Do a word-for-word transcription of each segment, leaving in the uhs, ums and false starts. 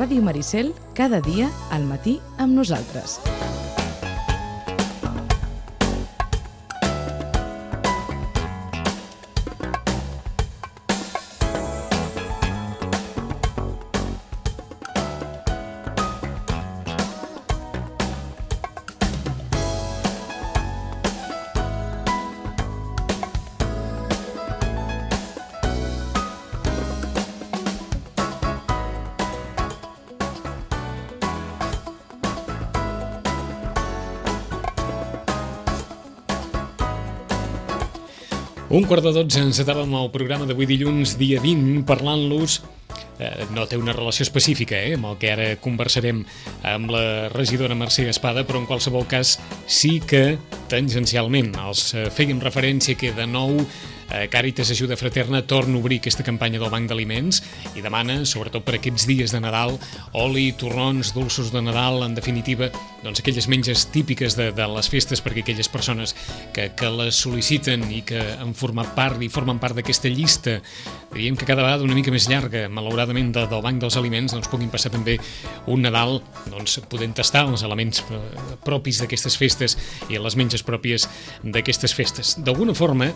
Ràdio Maricel, cada dia al matí amb nosaltres. Un quart de dotze encetàvem el programa d'avui dilluns, dia vint, parlant-los. Eh, no té una relació específica eh, amb el que ara conversarem amb la regidora Mercè Espada, però en qualsevol cas sí que tangencialment els eh, fèiem referència que de nou eh, Càritas Ajuda Fraterna torna a obrir aquesta campanya del Banc d'Aliments i demana, sobretot per aquests dies de Nadal, oli, torrons, dolços de Nadal, en definitiva, doncs aquelles menges típiques de, de les festes perquè aquelles persones que, que les sol·liciten i que han format part i formen part d'aquesta llista, diríem que cada vegada una mica més llarga, malauradament, de, del Banc dels Aliments, doncs puguin passar també un Nadal doncs, podent tastar els elements propis d'aquestes festes i les menges pròpies d'aquestes festes. D'alguna forma,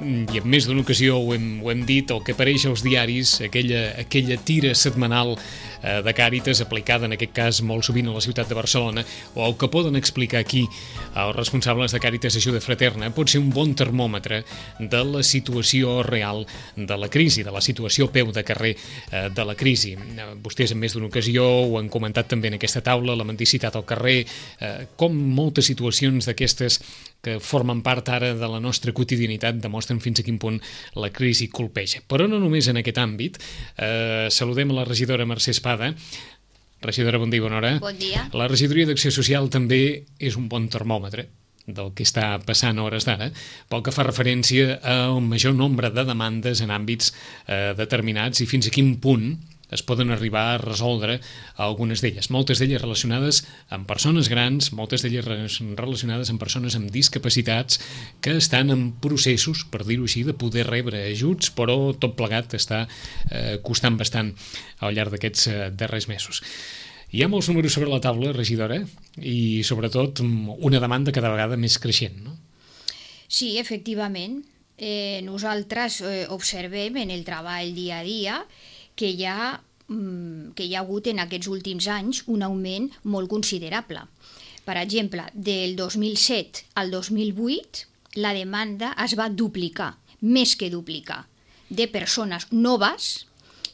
i en més d'una ocasió ho hem, ho hem dit, el que apareix als diaris, aquella, aquella tira setmanal eh, de Càritas, aplicada en aquest cas molt sovint a la ciutat de Barcelona, o el que poden explicar aquí els responsables de Càritas Ajuda Fraterna, pot ser un bon termòmetre de la situació real de la crisi, de la situació a peu de carrer eh, de la crisi. Eh, vostès en més d'una ocasió ho han comentat també en aquesta taula, la mendicitat al carrer, eh, com moltes situacions d'aquestes que formen part ara de la nostra quotidianitat demostren fins a quin punt la crisi colpeja. Però no només en aquest àmbit. Eh, saludem a la regidora Mercè Espada. Regidora, bon dia, bona hora. Bon dia. La regidoria d'Acció Social també és un bon termòmetre del que està passant a hores d'ara, pel que fa referència a un major nombre de demandes en àmbits eh, determinats i fins a quin punt es poden arribar a resoldre algunes d'elles. Moltes d'elles relacionades amb persones grans, moltes d'elles relacionades amb persones amb discapacitats que estan en processos, per dir-ho així, de poder rebre ajuts, però tot plegat està eh, costant bastant al llarg d'aquests eh, darrers mesos. Hi ha molts números sobre la taula, regidora, i sobretot una demanda cada vegada més creixent, no? Sí, efectivament. Eh, nosaltres eh, observem en el treball dia a dia que hi ha, que hi ha hagut en aquests últims anys un augment molt considerable. Per exemple, del dos mil set al dos mil vuit la demanda es va duplicar, més que duplicar, de persones noves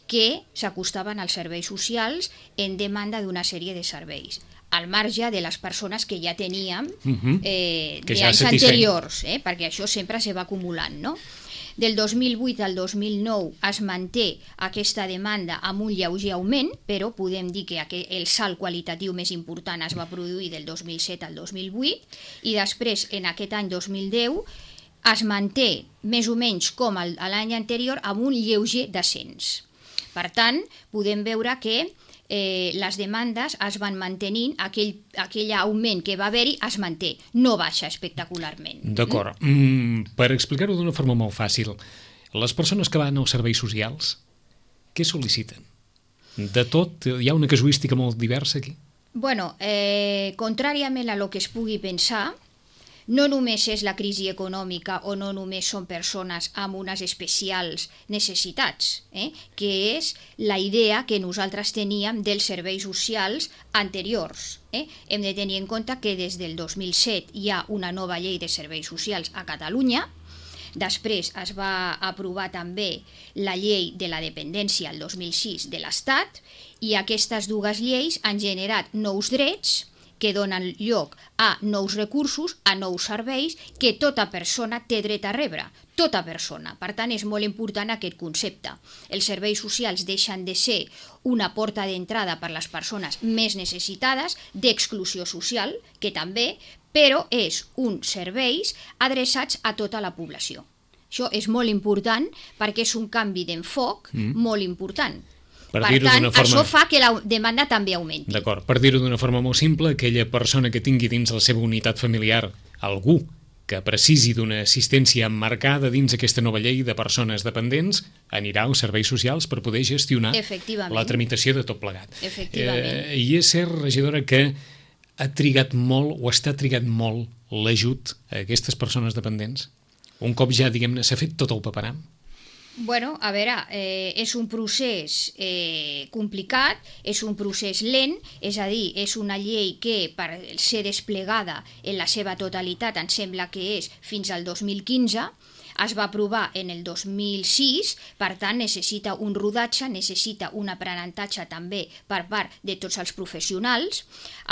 que s'acostaven als serveis socials en demanda d'una sèrie de serveis, al marge de les persones que ja teníem uh-huh. eh, d'anys ja anteriors, eh, perquè això sempre se va acumulant, no? Del dos mil vuit al dos mil nou es manté aquesta demanda amb un lleuger augment, però podem dir que el salt qualitatiu més important es va produir del dos mil set al dos mil vuit i després, en aquest any dos mil deu, es manté més o menys com l'any anterior amb un lleuger descens. Per tant, podem veure que eh, les demandes es van mantenint, aquell, aquell augment que va haver-hi es manté, no baixa espectacularment. D'acord. Mm, per explicar-ho d'una forma molt fàcil, les persones que van als serveis socials, què sol·liciten? De tot, hi ha una casuística molt diversa aquí? Bueno, eh, contràriament a lo que es pugui pensar, no només és la crisi econòmica o no només són persones amb unes especials necessitats, eh? que és la idea que nosaltres teníem dels serveis socials anteriors. Eh? Hem de tenir en compte que des del dos mil set hi ha una nova llei de serveis socials a Catalunya. Després es va aprovar també la llei de la dependència el dos mil sis de l'Estat i aquestes dues lleis han generat nous drets que donen lloc a nous recursos, a nous serveis que tota persona té dret a rebre, tota persona. Per tant, és molt important aquest concepte. Els serveis socials deixen de ser una porta d'entrada per les persones més necessitades, d'exclusió social, que també, però és uns serveis adreçats a tota la població. Això és molt important perquè és un canvi d'enfoc mm. molt important. Per, per tant, forma... això fa que la demanda també augmenti. D'acord, per dir-ho d'una forma molt simple, aquella persona que tingui dins la seva unitat familiar algú que precisi d'una assistència emmarcada dins aquesta nova llei de persones dependents anirà als serveis socials per poder gestionar la tramitació de tot plegat. Efectivament. Eh, I és cert, regidora, que ha trigat molt o està trigat molt l'ajut a aquestes persones dependents? Un cop ja, diguem-ne, s'ha fet tot el paperam? Bueno, a veure, eh, és un procés eh, complicat, és un procés lent, és a dir, és una llei que per ser desplegada en la seva totalitat em sembla que és fins al dos mil quinze, es va aprovar en el dos mil sis, per tant necessita un rodatge, necessita un aprenentatge també per part de tots els professionals.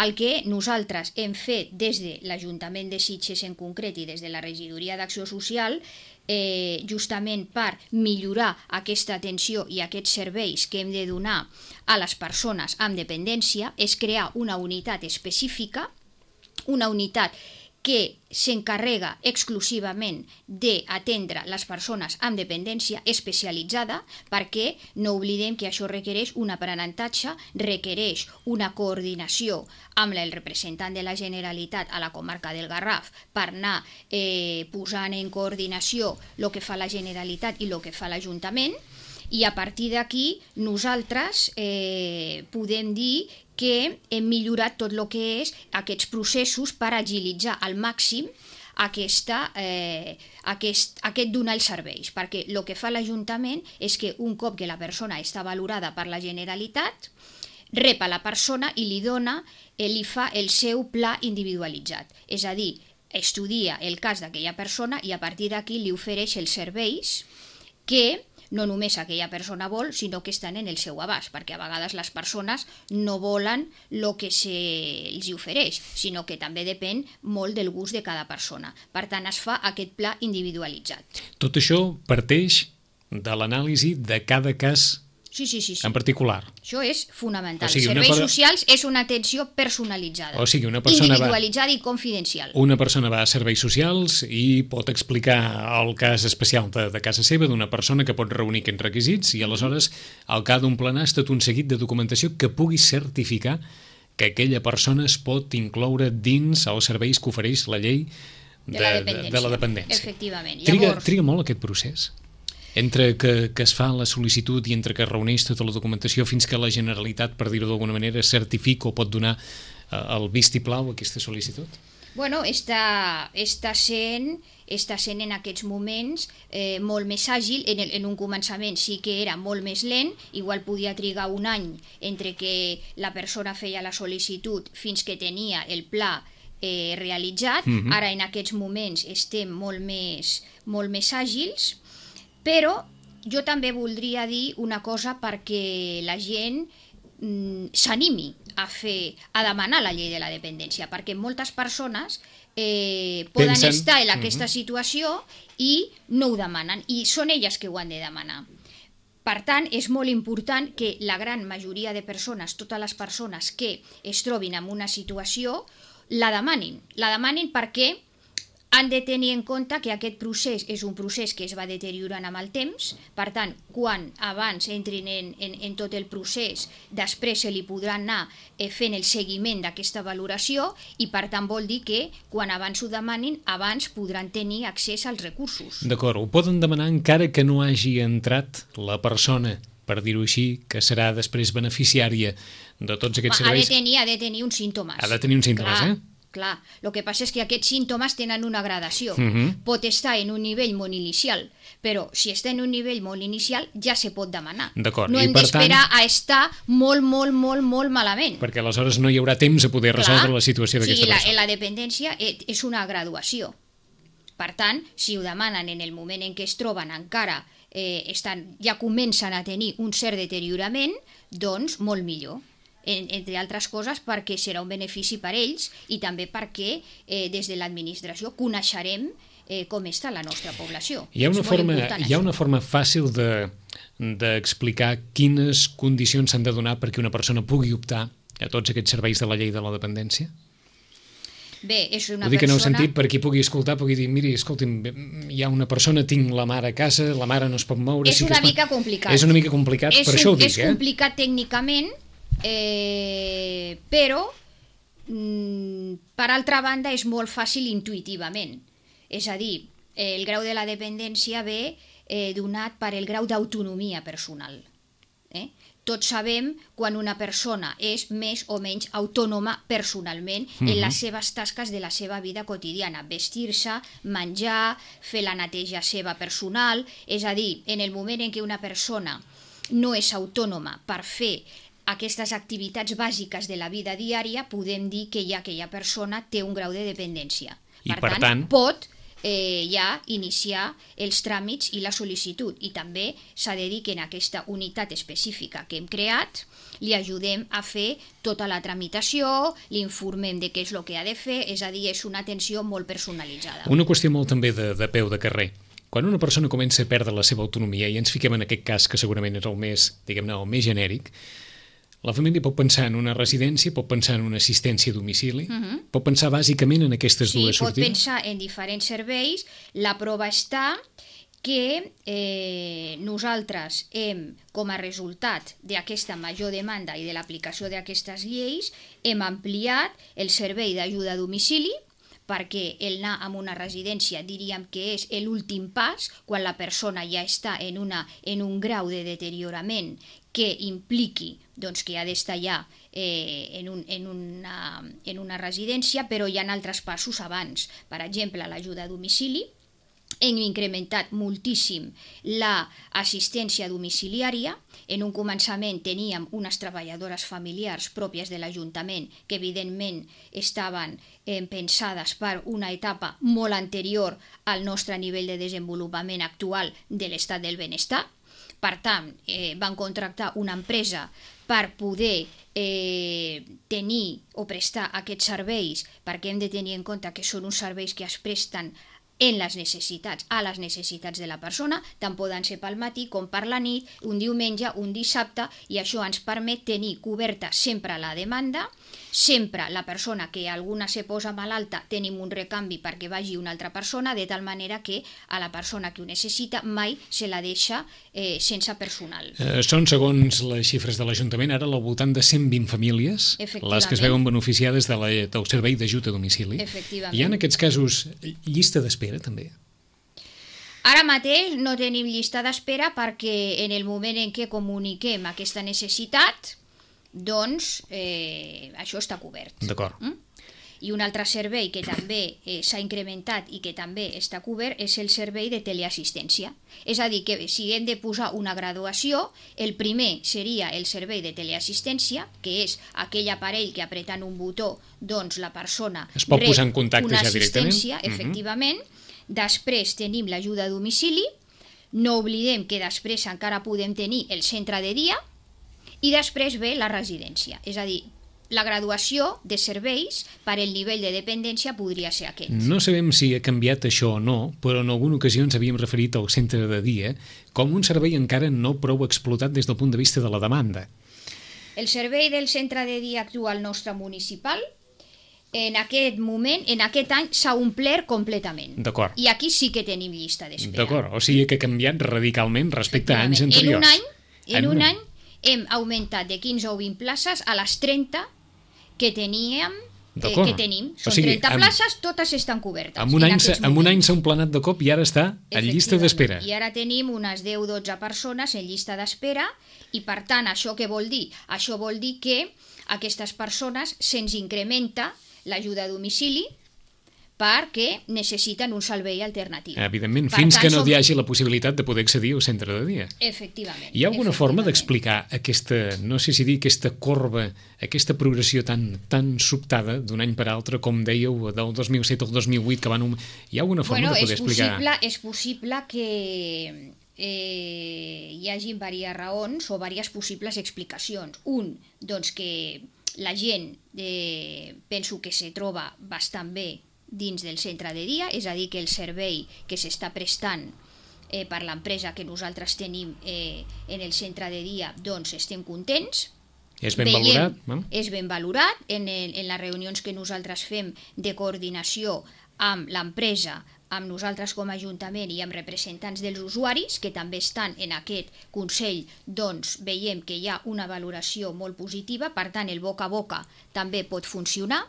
El que nosaltres hem fet des de l'Ajuntament de Sitges en concret i des de la Regidoria d'Acció Social, eh, justament per millorar aquesta atenció i aquests serveis que hem de donar a les persones amb dependència, és crear una unitat específica, una unitat que s'encarrega exclusivament d'atendre les persones amb dependència especialitzada, perquè no oblidem que això requereix un aprenentatge, requereix una coordinació amb el representant de la Generalitat a la comarca del Garraf per anar eh, posant en coordinació el que fa la Generalitat i el que fa l'Ajuntament, i a partir d'aquí nosaltres eh, podem dir que hem millorat tot el que és aquests processos per agilitzar al màxim aquesta, eh, aquest, aquest donar els serveis, perquè el que fa l'Ajuntament és que un cop que la persona està valorada per la Generalitat, rep a la persona i li dona, eh, li fa el seu pla individualitzat, és a dir, estudia el cas d'aquella persona i a partir d'aquí li ofereix els serveis que no només aquella persona vol, sinó que estan en el seu abast, perquè a vegades les persones no volen el que se'ls ofereix, sinó que també depèn molt del gust de cada persona. Per tant, es fa aquest pla individualitzat. Tot això parteix de l'anàlisi de cada cas Sí, sí, sí, sí. en particular. Això és fonamental. O sigui, Serveis per... socials és una atenció personalitzada, o sigui, una persona individualitzada va... i confidencial. Una persona va a serveis socials i pot explicar el cas especial de, de casa seva d'una persona que pot reunir aquests requisits i aleshores al cap d'un plenar és tot un seguit de documentació que pugui certificar que aquella persona es pot incloure dins els serveis que ofereix la llei de, de, la, dependència. de, de la dependència. Efectivament. Triga, Llavors... triga molt aquest procés? Entre que, que es fa la sol·licitud i entre que es reuneix tota la documentació fins que la Generalitat, per dir-ho d'alguna manera, certifica o pot donar eh, el vistiplau a aquesta sol·licitud? Bueno, està, està, sent, està sent en aquests moments eh, molt més àgil. En, el, en un començament sí que era molt més lent, igual podia trigar un any entre que la persona feia la sol·licitud fins que tenia el pla eh, realitzat. Mm-hmm. Ara en aquests moments estem molt més, molt més àgils. Però jo també voldria dir una cosa perquè la gent mm, s'animi a fer, a demanar la llei de la dependència, perquè moltes persones eh, poden Pensen... estar en aquesta uh-huh. situació i no ho demanen, i són elles que ho han de demanar. Per tant, és molt important que la gran majoria de persones, totes les persones que es trobin en una situació, la demanin. La demanin perquè han de tenir en compte que aquest procés és un procés que es va deteriorant amb el temps, per tant, quan abans entrin en, en, en tot el procés, després se li podrà anar eh, fent el seguiment d'aquesta valoració i per tant vol dir que quan abans ho demanin, abans podran tenir accés als recursos. D'acord, ho poden demanar encara que no hagi entrat la persona, per dir-ho així, que serà després beneficiària de tots aquests serveis. Ha de tenir, ha de tenir uns símptomes. Ha de tenir uns símptomes, Clar. eh? Clar, el que passa és que aquests símptomes tenen una gradació. Uh-huh. Pot estar en un nivell molt inicial, però si està en un nivell molt inicial ja se pot demanar. D'acord. No I hem per d'esperar tant... a estar molt, molt, molt, molt malament. Perquè aleshores no hi haurà temps a poder Clar. resoldre la situació d'aquesta sí, la, persona. La dependència és una graduació. Per tant, si ho demanen en el moment en què es troben encara, eh, estan, ja comencen a tenir un cert deteriorament, doncs molt millor. En, entre altres coses perquè serà un benefici per ells i també perquè eh, des de l'administració coneixerem eh, com està la nostra població. Hi ha una, forma, hi ha una forma fàcil de, d'explicar quines condicions s'han de donar perquè una persona pugui optar a tots aquests serveis de la llei de la dependència? Bé, és una Ho dic persona... en el sentit per qui pugui escoltar, pugui dir, miri, escolti'm, hi ha una persona, tinc la mare a casa, la mare no es pot moure... És sí una que es mica pot... complicat. És una mica complicat, és per un, això ho dic, és eh? És complicat tècnicament, eh, però mm, per altra banda és molt fàcil intuïtivament. És a dir, el grau de la dependència ve eh, donat per el grau d'autonomia personal. Eh? Tots sabem quan una persona és més o menys autònoma personalment uh-huh. en les seves tasques de la seva vida quotidiana, vestir-se, menjar, fer la neteja seva personal, és a dir, en el moment en què una persona no és autònoma per fer aquestes activitats bàsiques de la vida diària, podem dir que ja aquella persona té un grau de dependència. I per, per tant, tant, pot eh, ja iniciar els tràmits i la sol·licitud. I també s'ha de dir que en aquesta unitat específica que hem creat li ajudem a fer tota la tramitació, l'informem de què és el que ha de fer, és a dir, és una atenció molt personalitzada. Una qüestió molt també de, de peu de carrer. Quan una persona comença a perdre la seva autonomia, i ens fiquem en aquest cas que segurament és el més, diguem-ne, el més genèric, la família pot pensar en una residència, pot pensar en una assistència a domicili, uh-huh. pot pensar bàsicament en aquestes sí, dues sortides? Sí, pot pensar en diferents serveis. La prova està que eh, nosaltres hem, com a resultat d'aquesta major demanda i de l'aplicació d'aquestes lleis, hem ampliat el servei d'ajuda a domicili, perquè el anar a una residència diríem que és l'últim pas quan la persona ja està en, una, en un grau de deteriorament que impliqui doncs, que ha d'estar ja eh, en, un, en, una, en una residència, però hi ha altres passos abans. Per exemple, l'ajuda a domicili. Hem incrementat moltíssim l'assistència domiciliària. En un començament teníem unes treballadores familiars pròpies de l'Ajuntament que evidentment estaven eh, pensades per una etapa molt anterior al nostre nivell de desenvolupament actual de l'estat del benestar. Per tant, eh, van contractar una empresa per poder eh, tenir o prestar aquests serveis, perquè hem de tenir en compte que són uns serveis que es presten en les necessitats, a les necessitats de la persona, tant poden ser pel matí com per la nit, un diumenge, un dissabte, i això ens permet tenir coberta sempre la demanda, sempre la persona que alguna se posa malalta tenim un recanvi perquè vagi una altra persona, de tal manera que a la persona que ho necessita mai se la deixa eh, sense personal. Eh, són, segons les xifres de l'Ajuntament, ara al voltant de cent vint famílies les que es veuen beneficiades de la, del servei d'ajut a domicili. Efectivament. Hi ha en aquests casos llista d'espera, també? Ara mateix no tenim llista d'espera perquè en el moment en què comuniquem aquesta necessitat, doncs eh, això està cobert. D'acord. Mm? I un altre servei que també eh, s'ha incrementat i que també està cobert és el servei de teleassistència. És a dir, que si hem de posar una graduació, el primer seria el servei de teleassistència, que és aquell aparell que apretant un botó, doncs la persona es pot rep posar en contacte una ja directament. assistència, efectivament. Mm-hmm. Després tenim l'ajuda a domicili. No oblidem que després encara podem tenir el centre de dia, i després ve la residència. És a dir, la graduació de serveis per el nivell de dependència podria ser aquest. No sabem si ha canviat això o no, però en alguna ocasió ens havíem referit al centre de dia com un servei encara no prou explotat des del punt de vista de la demanda. El servei del centre de dia actual nostre municipal, en aquest moment, en aquest any, s'ha omplert completament. D'acord. I aquí sí que tenim llista d'espera. D'acord, o sigui que ha canviat radicalment respecte a anys anteriors. En un any, en, en un un any hem augmentat de quinze o vint places a les trenta que teníem, eh, que tenim. Són o sigui, trenta amb, places, totes estan cobertes. En un, en any, en un any s'ha emplenat de cop i ara està en llista d'espera. I ara tenim unes deu o dotze persones en llista d'espera i, per tant, això què vol dir? Això vol dir que aquestes persones se'ns incrementa l'ajuda a domicili perquè necessiten un servei alternatiu. Evidentment, per fins tant, que no som... hi hagi la possibilitat de poder accedir al centre de dia. Efectivament. Hi ha alguna forma d'explicar aquesta, no sé si dir, aquesta corba, aquesta progressió tan, tan sobtada d'un any per altre, com dèieu, del dos mil set al dos mil vuit, que van... Un... Hi ha alguna forma bueno, de poder és explicar? Possible, és possible que eh, hi hagi diverses raons o diverses possibles explicacions. Un, doncs que la gent eh, penso que se troba bastant bé dins del centre de dia, és a dir, que el servei que s'està prestant eh, per l'empresa que nosaltres tenim eh, en el centre de dia, doncs estem contents. És ben Veiem, valorat? No? És ben valorat. En, el, en les reunions que nosaltres fem de coordinació amb l'empresa, amb nosaltres com a Ajuntament i amb representants dels usuaris, que també estan en aquest Consell, doncs veiem que hi ha una valoració molt positiva, per tant el boca a boca també pot funcionar.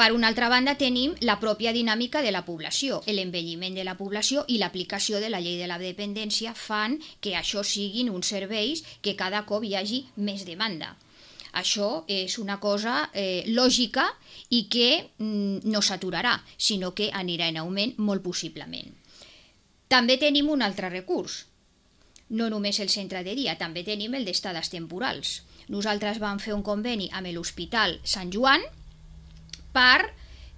Per una altra banda, tenim la pròpia dinàmica de la població. L'envelliment de la població i l'aplicació de la llei de la dependència fan que això siguin uns serveis que cada cop hi hagi més demanda. Això és una cosa eh, lògica i que mm, no s'aturarà, sinó que anirà en augment molt possiblement. També tenim un altre recurs. No només el centre de dia, també tenim el d'estades temporals. Nosaltres vam fer un conveni amb l'Hospital Sant Joan per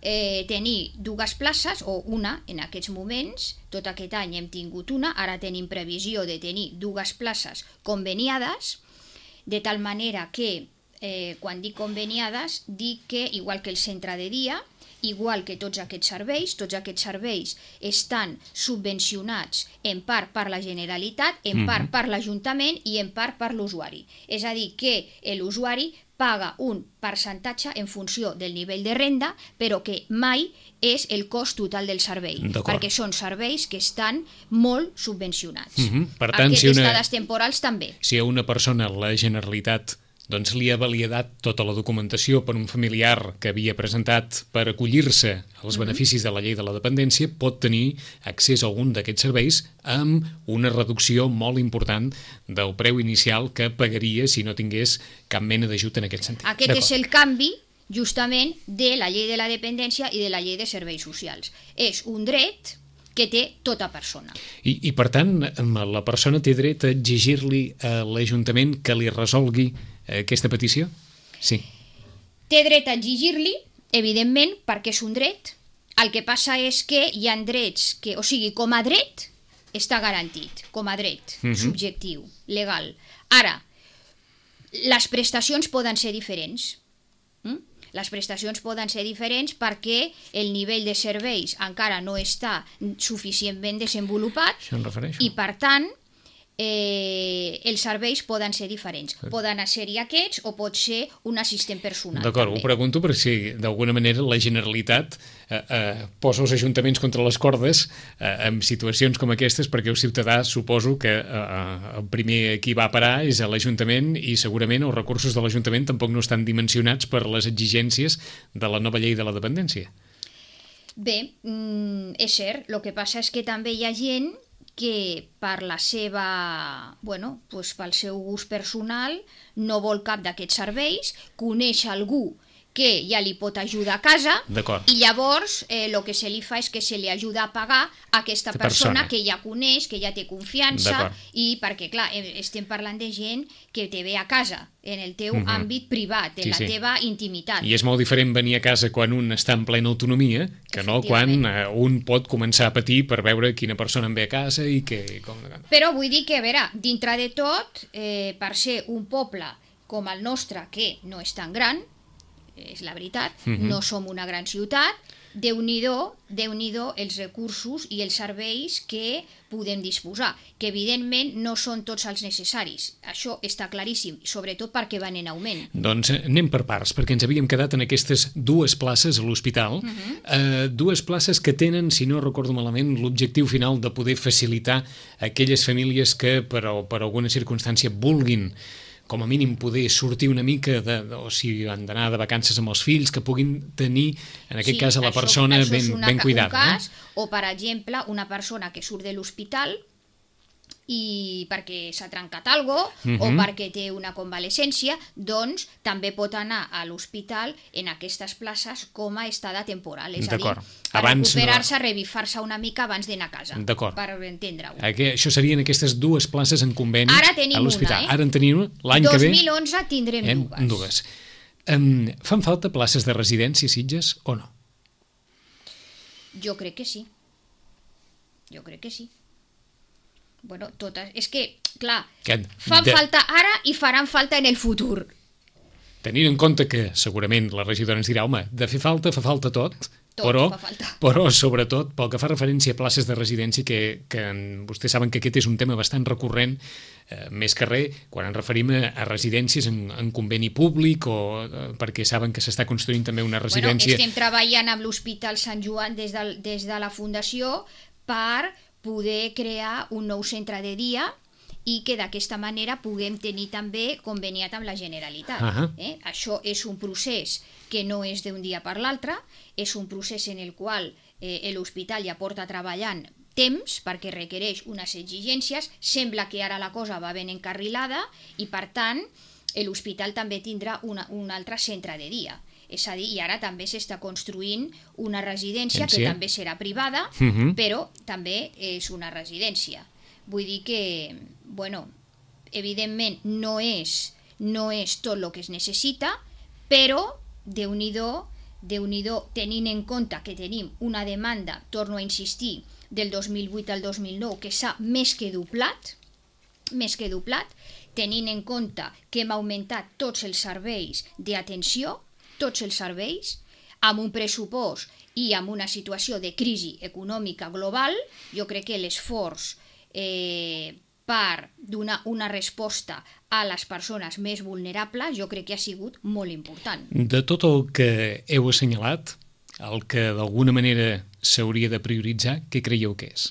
eh, tenir dues places, o una en aquests moments. Tot aquest any hem tingut una, ara tenim previsió de tenir dues places conveniades, de tal manera que, eh, quan dic conveniades, dic que, igual que el centre de dia, igual que tots aquests serveis, tots aquests serveis estan subvencionats en part per la Generalitat, en part per l'Ajuntament i en part per l'usuari. És a dir, que l'usuari paga un percentatge en funció del nivell de renda, però que mai és el cost total del servei, perquè són serveis que estan molt subvencionats. Mm-hmm. Per tant, Aquestes si una... estades temporals també. Si a una persona la Generalitat doncs li ha validat tota la documentació per un familiar que havia presentat per acollir-se als beneficis de la llei de la dependència, pot tenir accés a algun d'aquests serveis amb una reducció molt important del preu inicial que pagaria si no tingués cap mena d'ajut en aquest sentit. Aquest és el canvi, justament, de la llei de la dependència i de la llei de serveis socials. És un dret que té tota persona. I, i per tant, la persona té dret a exigir-li a l'Ajuntament que li resolgui aquesta petició? Sí. Té dret a exigir-li, evidentment, perquè és un dret. El que passa és que hi ha drets que, o sigui, com a dret, està garantit, com a dret uh-huh. subjectiu, legal. Ara, les prestacions poden ser diferents. Mm? Les prestacions poden ser diferents perquè el nivell de serveis encara no està suficientment desenvolupat. Això em refereixo. I, per tant, eh, els serveis poden ser diferents. Poden ser-hi aquests o pot ser un assistent personal. D'acord, ho pregunto perquè si d'alguna manera la Generalitat eh, eh, posa els ajuntaments contra les cordes eh, en situacions com aquestes, perquè el ciutadà suposo que eh, el primer qui va a parar és a l'Ajuntament i segurament els recursos de l'Ajuntament tampoc no estan dimensionats per les exigències de la nova llei de la dependència. Bé, mm, és cert, el que passa és que també hi ha gent que per la seva, bueno, doncs pel seu gust personal no vol cap d'aquests serveis, coneix algú que ja li pot ajudar a casa i llavors el eh, que se li fa és que se li ajuda a pagar a aquesta persona, persona que ja coneix, que ja té confiança i perquè, clar, estem parlant de gent que te ve a casa, en el teu uh-huh. àmbit privat, en sí, la sí. teva intimitat. I és molt diferent venir a casa quan un està en plena autonomia que no quan eh, un pot començar a patir per veure quina persona en ve a casa i que... Com... Però vull dir que, a veure, dintre de tot, eh, per ser un poble com el nostre, que no és tan gran, és la veritat, uh-huh. no som una gran ciutat, Déu-n'hi-do, Déu-n'hi-do els recursos i els serveis que podem disposar, que evidentment no són tots els necessaris. Això està claríssim, sobretot perquè van en augment. Doncs anem per parts, perquè ens havíem quedat en aquestes dues places a l'hospital, uh-huh. eh, dues places que tenen, si no recordo malament, l'objectiu final de poder facilitar a aquelles famílies que per, per alguna circumstància vulguin com a mínim poder sortir una mica, de, de, o si han d'anar de vacances amb els fills, que puguin tenir, en aquest sí, cas, a la això, persona això ben, una, ben cuidada. Cas, no? O, per exemple, una persona que surt de l'hospital i perquè s'ha trencat alguna cosa uh-huh. o perquè té una convalescència, doncs també pot anar a l'hospital en aquestes places com a estada temporal, és a dir, per abans recuperar-se, no... revifar-se una mica abans d'anar a casa, per entendre-ho. Aqu- això serien aquestes dues places en conveni Ara tenim a l'hospital. Una, eh? Ara en tenim una, l'any que ve... dos mil onze tindrem eh, dues. dues. Um, fan falta places de residència, Sitges, o no? Jo crec que sí. Jo crec que sí. Bueno, totes... És que, clar, que fan de... falta ara i faran falta en el futur. Tenint en compte que segurament la regidora ens dirà, home, de fer falta, fa falta tot, tot però, fa falta. però sobretot pel que fa referència a places de residència, que, que vostès saben que aquest és un tema bastant recurrent, eh, més que res, quan ens referim a, a residències en, en conveni públic o eh, perquè saben que s'està construint també una residència... Bueno, estem treballant amb l'Hospital Sant Joan des de, des de la Fundació per poder crear un nou centre de dia i que d'aquesta manera puguem tenir també conveniat amb la Generalitat. Uh-huh. Eh? Això és un procés que no és d'un dia per l'altre, és un procés en el qual eh, l'hospital ja porta treballant temps perquè requereix unes exigències, sembla que ara la cosa va ben encarrilada i per tant l'hospital també tindrà una, un altre centre de dia. És a dir, i ara també s'està construint una residència que també serà privada, uh-huh. però també és una residència. Vull dir que, bueno, evidentment no és, no és tot el que es necessita, però Déu-n'hi-do, Déu-n'hi-do, tenint en compte que tenim una demanda, torno a insistir, del dos mil vuit al dos mil nou, que s'ha més que doblat, més que doblat, tenint en compte que hem augmentat tots els serveis d'atenció, tots els serveis, amb un pressupost i amb una situació de crisi econòmica global, jo crec que l'esforç eh, per donar una resposta a les persones més vulnerables, jo crec que ha sigut molt important. De tot el que heu assenyalat, el que d'alguna manera s'hauria de prioritzar, què creieu que és?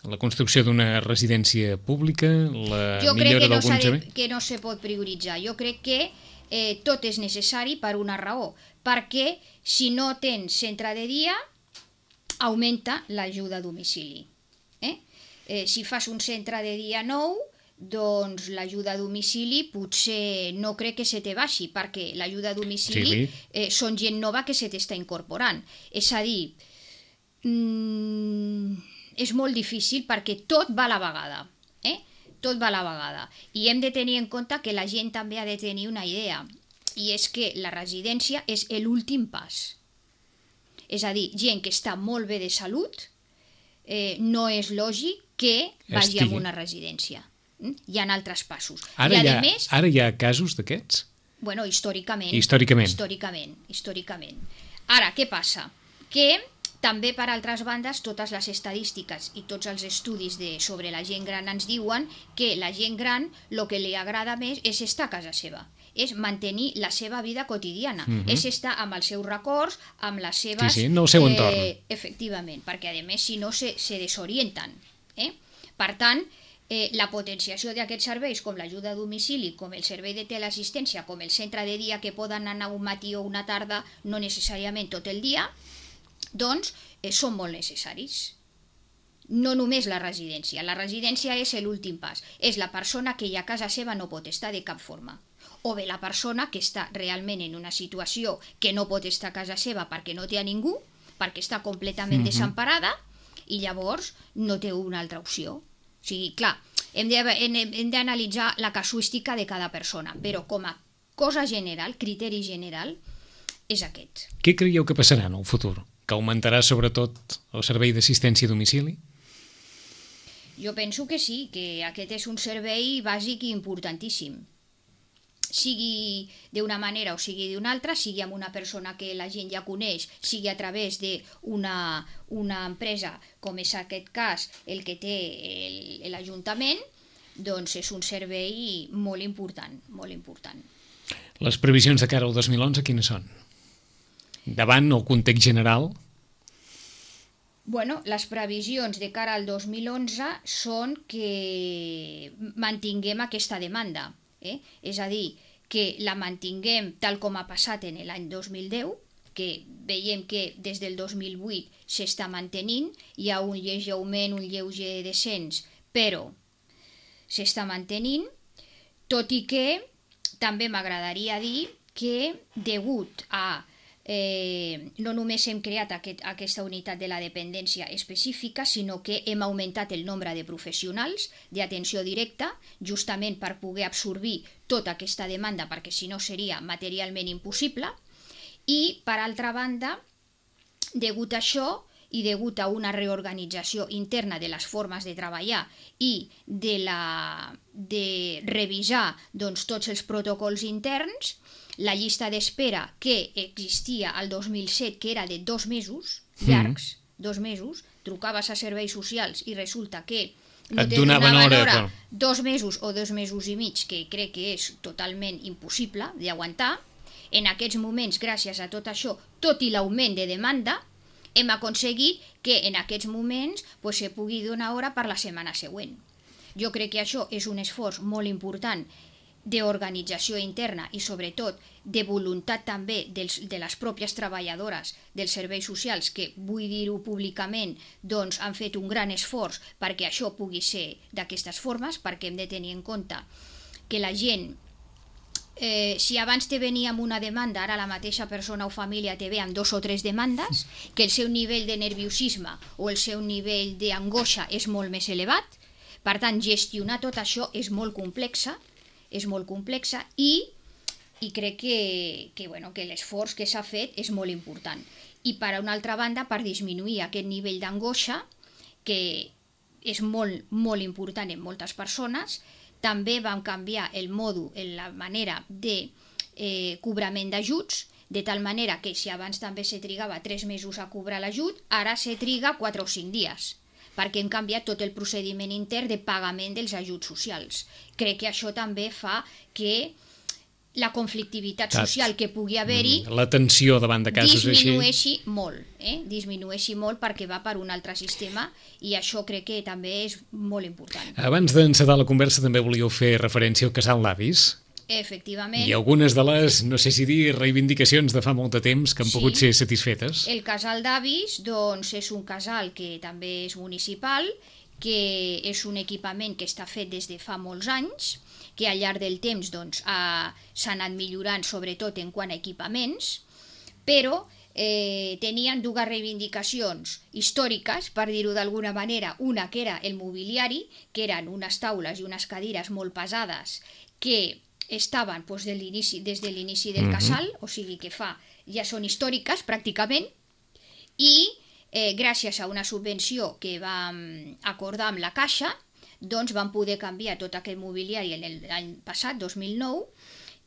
La construcció d'una residència pública, la jo millora d'alguns... d'alguns... Jo crec que, no que no se pot prioritzar. Jo crec que eh, tot és necessari per una raó, perquè si no tens centre de dia, augmenta l'ajuda a domicili. Eh? Eh, si fas un centre de dia nou, doncs l'ajuda a domicili potser no crec que se te baixi, perquè l'ajuda a domicili sí. eh, són gent nova que se t'està incorporant. És a dir, mmm, és molt difícil perquè tot va a la vegada. Eh? Tot va a la vegada. I hem de tenir en compte que la gent també ha de tenir una idea, i és que la residència és l'últim pas. És a dir, gent que està molt bé de salut, eh, no és lògic que vagi a una residència. Hi ha altres passos. Ara, I, hi ha, més, ara hi ha casos d'aquests? Bueno, històricament. Històricament. Històricament. Històricament. Ara, què passa? Que també, per altres bandes, totes les estadístiques i tots els estudis de, sobre la gent gran ens diuen que la gent gran el que li agrada més és estar a casa seva, és mantenir la seva vida quotidiana, uh-huh. és estar amb els seus records, amb les seves... Sí, sí, en el seu entorn. Eh, efectivament, perquè a més, si no, se, se desorienten. Eh? Per tant, eh, la potenciació d'aquests serveis, com l'ajuda a domicili, com el servei de teleassistència, com el centre de dia que poden anar un matí o una tarda, no necessàriament tot el dia, doncs eh, són molt necessaris. No només la residència. La residència és l'últim pas. És la persona que ja a casa seva no pot estar de cap forma. O bé la persona que està realment en una situació que no pot estar a casa seva perquè no té a ningú, perquè està completament mm-hmm. desemparada, i llavors no té una altra opció. O sigui, clar, hem d'analitzar la casuística de cada persona, però com a cosa general, criteri general, és aquest. Què creieu que passarà en el futur? Que augmentarà sobretot el servei d'assistència a domicili? Jo penso que sí, que aquest és un servei bàsic i importantíssim. Sigui d'una manera o sigui d'una altra, sigui amb una persona que la gent ja coneix, sigui a través d'una una empresa, com és aquest cas el que té l'Ajuntament, doncs és un servei molt important, molt important. Les previsions de cara al dos mil onze quines són? Davant el context general? Bueno, les previsions de cara al dos mil onze són que mantinguem aquesta demanda. Eh? És a dir, que la mantinguem tal com ha passat en l'any dos mil deu, que veiem que des del dos mil vuit s'està mantenint, hi ha un lleuger augment, un lleuger descens, però s'està mantenint, tot i que també m'agradaria dir que degut a Eh, no només hem creat aquest, aquesta unitat de la dependència específica, sinó que hem augmentat el nombre de professionals d'atenció directa, justament per poder absorbir tota aquesta demanda, perquè si no seria materialment impossible, i per altra banda, degut a això i degut a una reorganització interna de les formes de treballar i de, la, de revisar doncs, tots els protocols interns, la llista d'espera que existia al dos mil set, que era de dos mesos, llargs, mm. dos mesos, trucaves a serveis socials i resulta que no et te donaven hora, hora però... dos mesos o dos mesos i mig, que crec que és totalment impossible d'aguantar. En aquests moments, gràcies a tot això, tot i l'augment de demanda, hem aconseguit que en aquests moments pues, se pugui donar hora per la setmana següent. Jo crec que això és un esforç molt important d'organització interna i sobretot de voluntat també dels, de les pròpies treballadores dels serveis socials, que vull dir-ho públicament, doncs han fet un gran esforç perquè això pugui ser d'aquestes formes, perquè hem de tenir en compte que la gent, eh, si abans te venia amb una demanda, ara la mateixa persona o família te ve amb dos o tres demandes, que el seu nivell de nerviosisme o el seu nivell d'angoixa és molt més elevat, per tant gestionar tot això és molt complexa, és molt complexa i, i crec que, que, bueno, que l'esforç que s'ha fet és molt important. I per una altra banda, per disminuir aquest nivell d'angoixa, que és molt, molt important en moltes persones, també vam canviar el mòdul, la manera de eh, cobrament d'ajuts, de tal manera que si abans també se trigava tres mesos a cobrar l'ajut, ara se triga quatre o cinc dies, perquè hem canviat tot el procediment intern de pagament dels ajuts socials. Crec que això també fa que la conflictivitat social que pugui haver-hi la tensió davant de casos disminueixi així molt, eh? disminueixi molt perquè va per un altre sistema i això crec que també és molt important. Abans d'encetar la conversa també volíeu fer referència al casal d'avis. Efectivament. I algunes de les, no sé si dir, reivindicacions de fa molt de temps que han Sí. pogut ser satisfetes. El casal d'avis doncs, és un casal que també és municipal, que és un equipament que està fet des de fa molts anys, que al llarg del temps doncs, ha- s'ha anat millorant sobretot en quant a equipaments, però eh, tenien dues reivindicacions històriques, per dir-ho d'alguna manera. Una que era el mobiliari, que eren unes taules i unes cadires molt pesades que estaven doncs, de l'inici, des de l'inici del casal, o sigui que fa, ja són històriques pràcticament, i eh, gràcies a una subvenció que vam acordar amb la Caixa, doncs vam poder canviar tot aquest mobiliari l'any passat, dos mil nou,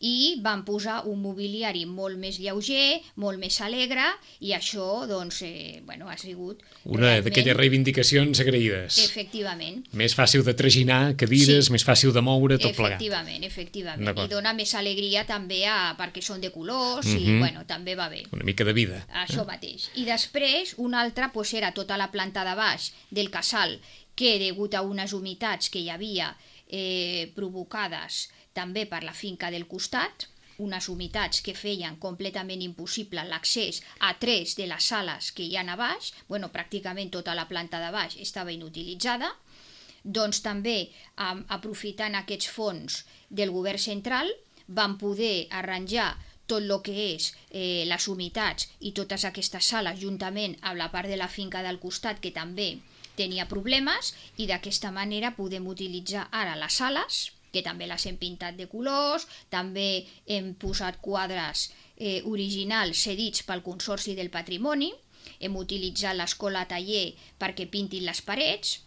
i van posar un mobiliari molt més lleuger, molt més alegre, i això doncs, eh, bueno, ha sigut Una realment- d'aquelles reivindicacions agraïdes. Efectivament. Més fàcil de traginar cadires, Sí. més fàcil de moure, tot plegat. Efectivament, efectivament. D'acord. I dona més alegria també a, perquè són de colors i Mhm. bueno, també va bé. Una mica de vida. Això mateix. I després, una altra pues, era tota la planta de baix del casal, que degut a unes humitats que hi havia eh, provocades també per la finca del costat, unes humitats que feien completament impossible l'accés a tres de les sales que hi ha a baix, bueno, pràcticament tota la planta de baix estava inutilitzada, doncs també, am- aprofitant aquests fons del govern central, van poder arranjar tot el que és eh, les humitats i totes aquestes sales juntament amb la part de la finca del costat que també tenia problemes, i d'aquesta manera podem utilitzar ara les sales, que també les hem pintat de colors, també hem posat quadres eh, originals cedits pel Consorci del Patrimoni, hem utilitzat l'escola-taller perquè pintin les parets,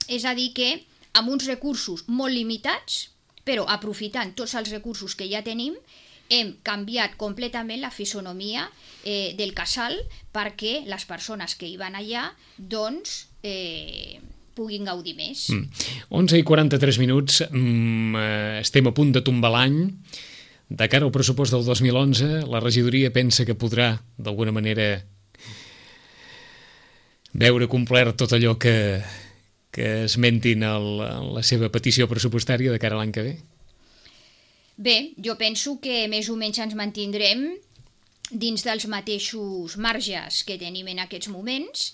és a dir que amb uns recursos molt limitats, però aprofitant tots els recursos que ja tenim, hem canviat completament la fisonomia eh, del casal perquè les persones que hi van allà doncs eh, puguin gaudir més. Mm. onze i quaranta-tres minuts, mm, eh, estem a punt de tombar l'any. De cara al pressupost del dos mil onze, la regidoria pensa que podrà, d'alguna manera, veure complert tot allò que, que esmentin el, en la seva petició pressupostària de cara a l'any que ve? Bé, jo penso que més o menys ens mantindrem dins dels mateixos marges que tenim en aquests moments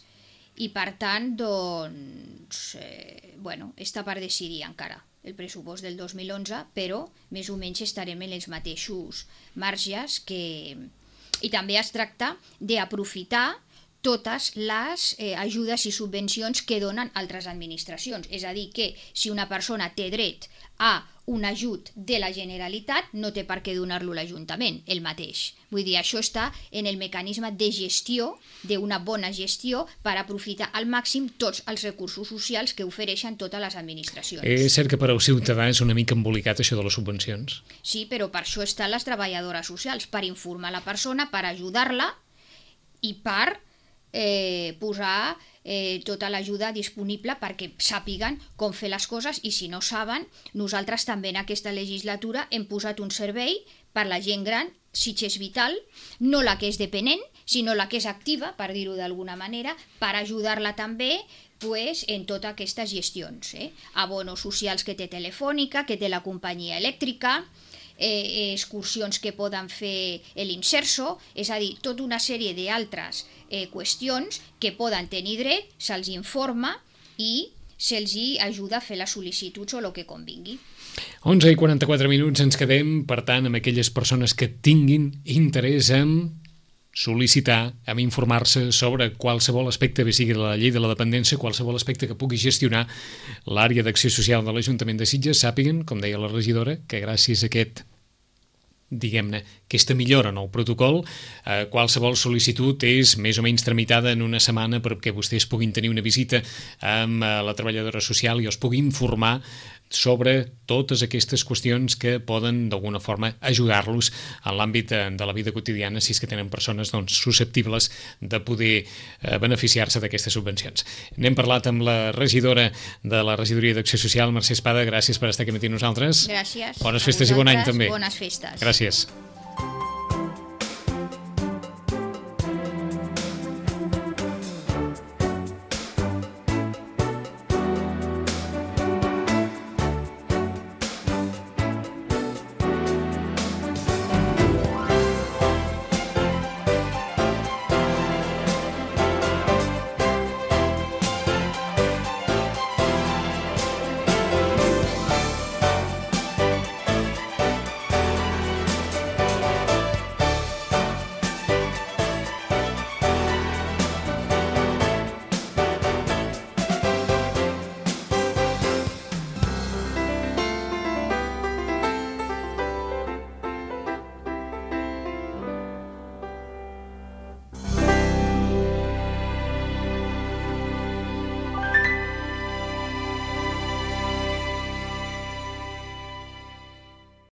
i, per tant, doncs, eh, bueno, està per decidir encara el pressupost del dos mil onze, però més o menys estarem en els mateixos marges que... I també es tracta d'aprofitar totes les eh, ajudes i subvencions que donen altres administracions. És a dir, que si una persona té dret a un ajut de la Generalitat, no té per què donar-lo l'Ajuntament, el mateix. Vull dir, això està en el mecanisme de gestió, d'una bona gestió, per aprofitar al màxim tots els recursos socials que ofereixen totes les administracions. És cert que per al ciutadà és una mica embolicat això de les subvencions. Sí, però per això estan les treballadores socials, per informar la persona, per ajudar-la i per eh, posar eh, tota l'ajuda disponible perquè sàpiguen com fer les coses, i si no saben, nosaltres també en aquesta legislatura hem posat un servei per la gent gran, Sitges Vital, no la que és dependent, sinó la que és activa, per dir-ho d'alguna manera, per ajudar-la també pues, en totes aquestes gestions. Eh? Abonos socials que té Telefònica, que té la companyia elèctrica, eh, excursions que poden fer l'Inserso, és a dir, tota una sèrie d'altres eh, qüestions que poden tenir dret, se'ls informa i se'ls ajuda a fer les sol·licituds o el que convingui. onze i quaranta-quatre minuts ens quedem, per tant, amb aquelles persones que tinguin interès en sol·licitar, en informar-se sobre qualsevol aspecte, bé sigui la llei de la dependència, qualsevol aspecte que pugui gestionar l'àrea d'acció social de l'Ajuntament de Sitges, sàpiguen, com deia la regidora, que gràcies a aquest diguem-ne, aquesta millora en el protocol, eh, qualsevol sol·licitud és més o menys tramitada en una setmana perquè vostès puguin tenir una visita amb eh, la treballadora social i els pugui informar sobre totes aquestes qüestions que poden d'alguna forma ajudar-los en l'àmbit de la vida quotidiana si és que tenen persones doncs, susceptibles de poder eh, beneficiar-se d'aquestes subvencions. N'hem parlat amb la regidora de la Regidoria d'Acció Social, Mercè Espada. Gràcies per estar aquí amb nosaltres. Gràcies. Bones festes i bon any també. Bones festes. Gràcies.